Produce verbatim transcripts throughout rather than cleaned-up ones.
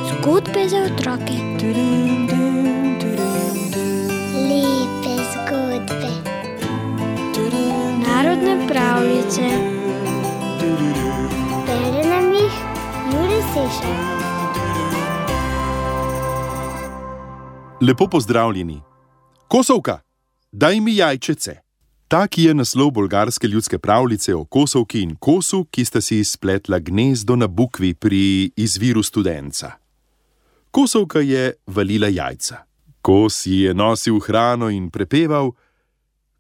Zgodbe za otroke. Lepe zgodbe. Narodne pravljice. Bere nam jih Jure Sešar. Lepo pozdravljeni. Kosovka, daj mi jajčece. Tak je naslov bolgarske ljudske pravljice o kosovki in kosu, ki sta si spletla gnezdo na bukvi pri izviru Studenca. Kosovka je valila jajca. Kos ji je nosil hrano in prepeval: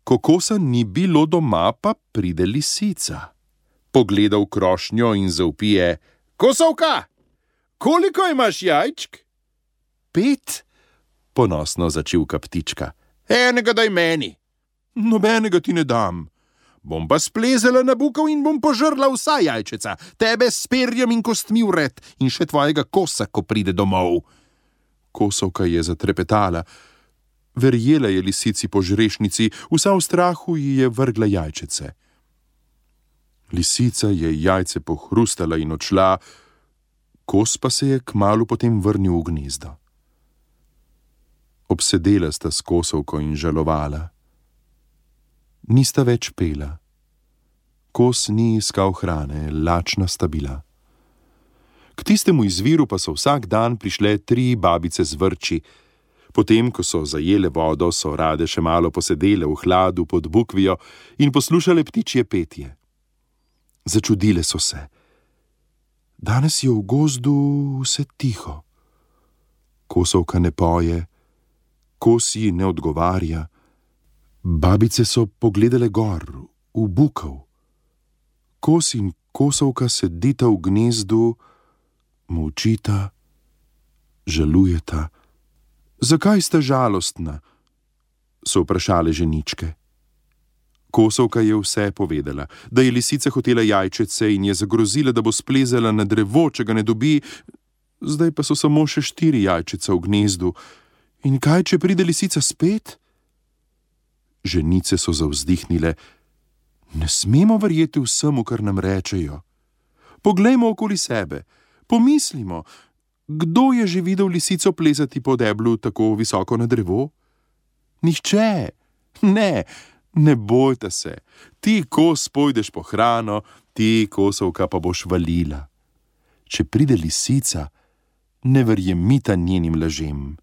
ko kosa ni bilo doma, pa pride lisica. Pogleda v krošnjo in zavpije: Kosovka, koliko imaš jajčk? Pet, ponosno začivka ptička. Enega daj meni. Nobenega ti ne dam. Bom pa splezala na bukev in bom požrla vsa jajčeca, tebe s perjem in kostmi vred in še tvojega kosa, ko pride domov. Kosovka je zatrepetala. Verjela je lisici po žrešnici, vsa v strahu ji je vrgla jajčece. Lisica je jajce pohrustala in odšla, kos pa se je kmalu potem vrnil v gnezdo. Obsedela sta s kosovko in žalovala. Nista več pela. Kos ni iskal hrane, lačna sta bila. K tistemu izviru pa so vsak dan prišle tri babice z vrči. Potem, ko so zajele vodo, so rade še malo posedele v hladu pod bukvijo in poslušale ptičje petje. Začudile so se. Danes je v gozdu vse tiho. Kosovka ne poje, kos ji ne odgovarja. Babice so pogledale gor, v bukev. Kos in kosovka sedita v gnezdu, molčita, žalujeta. Zakaj sta žalostna? So vprašale ženičke. Kosovka je vse povedala, da je lisica hotela jajčece in je zagrozila, da bo splezala na drevo, če ga ne dobi. Zdaj pa so samo še štiri jajčeca v gnezdu. In kaj, če pride lisica spet? Ženice so zavzdihnile. Ne smemo verjeti vsemu, kar nam rečejo. Poglejmo okoli sebe, pomislimo, kdo je že videl lisico plezati po deblu tako visoko na drevo? Nihče. Ne, ne bojta se. Ti kos pojdeš po hrano, ti kosovka pa boš valila. Če pride lisica, ne verjemita njenim lažem.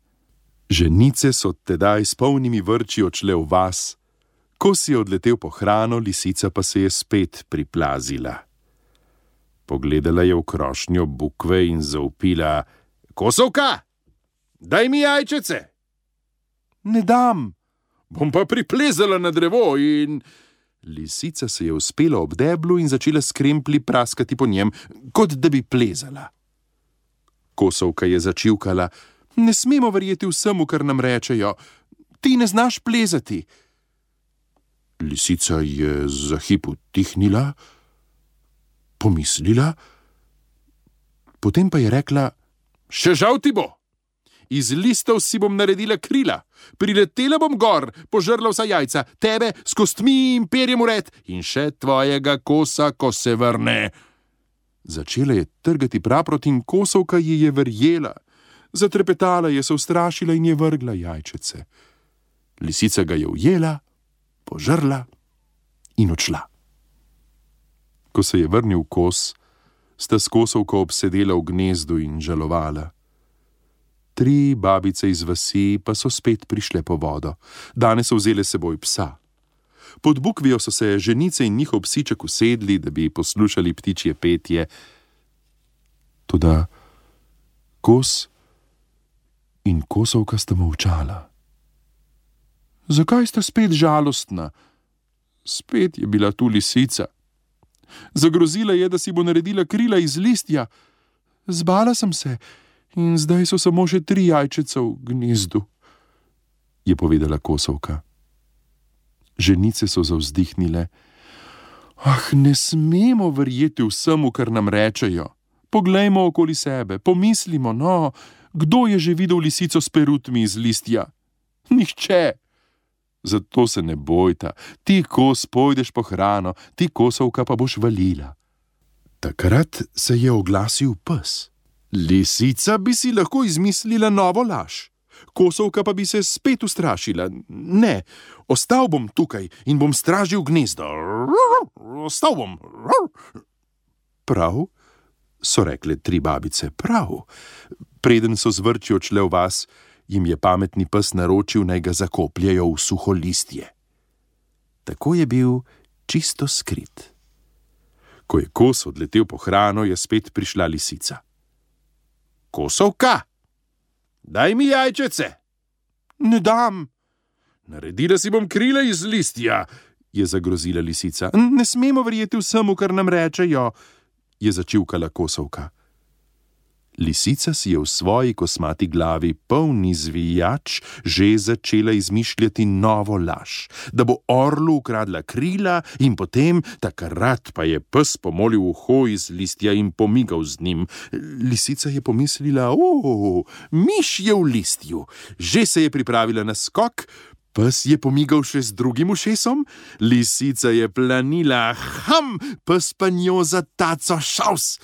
Ženice so tedaj s polnimi vrči odšle v vas. Kos je odletel po hrano, lisica pa se je spet priplazila. Pogledala je v krošnjo bukve in zavpila: Kosovka, daj mi jajčece. Ne dam. Bom pa priplezala na drevo in... Lisica se je uspela ob deblu in začela s kremplji praskati po njem, kot da bi plezala. Kosovka je začivkala: Ne smemo verjeti vsemu, kar nam rečejo. Ti ne znaš plezati. Lisica je za hip utihnila, pomislila, potem pa je rekla: Še žal ti bo. Iz listov si bom naredila krila, priletela bom gor, požrla vsa jajca, tebe s kostmi in perjem vred in še tvojega kosa, ko se vrne. Začela je trgati praprot in kosovka ji je verjela. Zatrepetala je, se ustrašila in je vrgla jajčece. Lisica ga je ujela, požrla in odšla. Ko se je vrnil kos, sta s kosovko obsedela v gnezdu in žalovala. Tri babice iz vasi pa so spet prišle po vodo. Danes so vzele seboj psa. Pod bukvijo so se ženice in njihov psiček usedli, da bi poslušali ptičje petje. Toda kos in kosovka sta molčala. Zakaj sta spet žalostna? Spet je bila tu lisica. Zagrozila je, da si bo naredila krila iz listja. Zbala sem se in zdaj so samo še tri jajčeca v gnezdu, je povedala kosovka. Ženice so zavzdihnile. Ah, ne smemo verjeti vsemu, kar nam rečejo. Poglejmo okoli sebe, pomislimo, no, kdo je že videl lisico s perutmi iz listja? Nihče. Zato se ne bojta, ti kos pojdeš po hrano, ti kosovka pa boš valila. Takrat se je oglasil pes. Lisica bi si lahko izmislila novo laž. Kosovka pa bi se spet ustrašila. Ne, ostal bom tukaj in bom stražil gnezdo. Ostal bom. Prav, so rekle tri babice, prav. Preden so zvrči odšle v vas, jim je pametni pes naročil, naj ga zakopljejo v suho listje. Tako je bil čisto skrit. Ko je kos odletel po hrano, je spet prišla lisica. Kosovka, daj mi jajčece. Ne dam. Naredila si bom krila iz listja, je zagrozila lisica. Ne smemo verjeti vsemu, kar nam rečejo, je začivkala kosovka. Lisica si je v svoji kosmati glavi, polni zvijač, že začela izmišljati novo laž, da bo orlu ukradla krila in potem, takrat pa je pes pomolil uho iz listja in pomigal z njim. Lisica je pomislila, o, miš je v listju. Že se je pripravila na skok, pes je pomigal še z drugim ušesom, lisica je planila, ham, pes pa njo za taco šaus.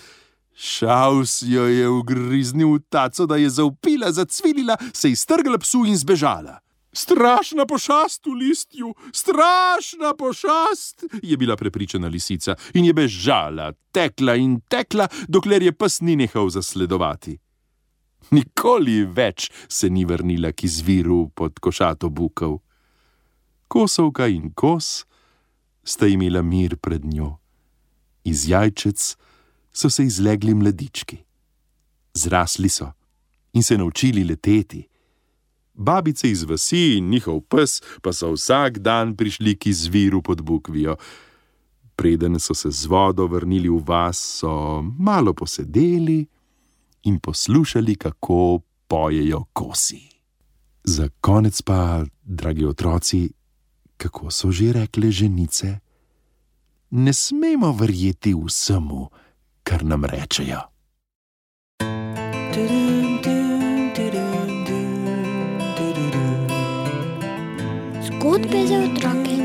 Šaus jo je ugriznil v taco, da je zavpila, zacvilila, se iztrgla psu in zbežala. Strašna pošast v listju, strašna pošast, je bila prepričana lisica in je bežala, tekla in tekla, dokler je pes ni nehal zasledovati. Nikoli več se ni vrnila k izviru pod košato bukov. Kosovka in kos sta imela mir pred njo. Iz jajčec so se izlegli mladički. Zrasli so in se naučili leteti. Babice iz vasi in njihov pes pa so vsak dan prišli k izviru pod bukvijo. Preden so se z vodo vrnili v vas, so malo posedeli in poslušali, kako pojejo kosi. Za konec pa, dragi otroci, kako so že rekle ženice? Ne smemo verjeti vsemu, kar nam rečejo. Zgodbe za otroke.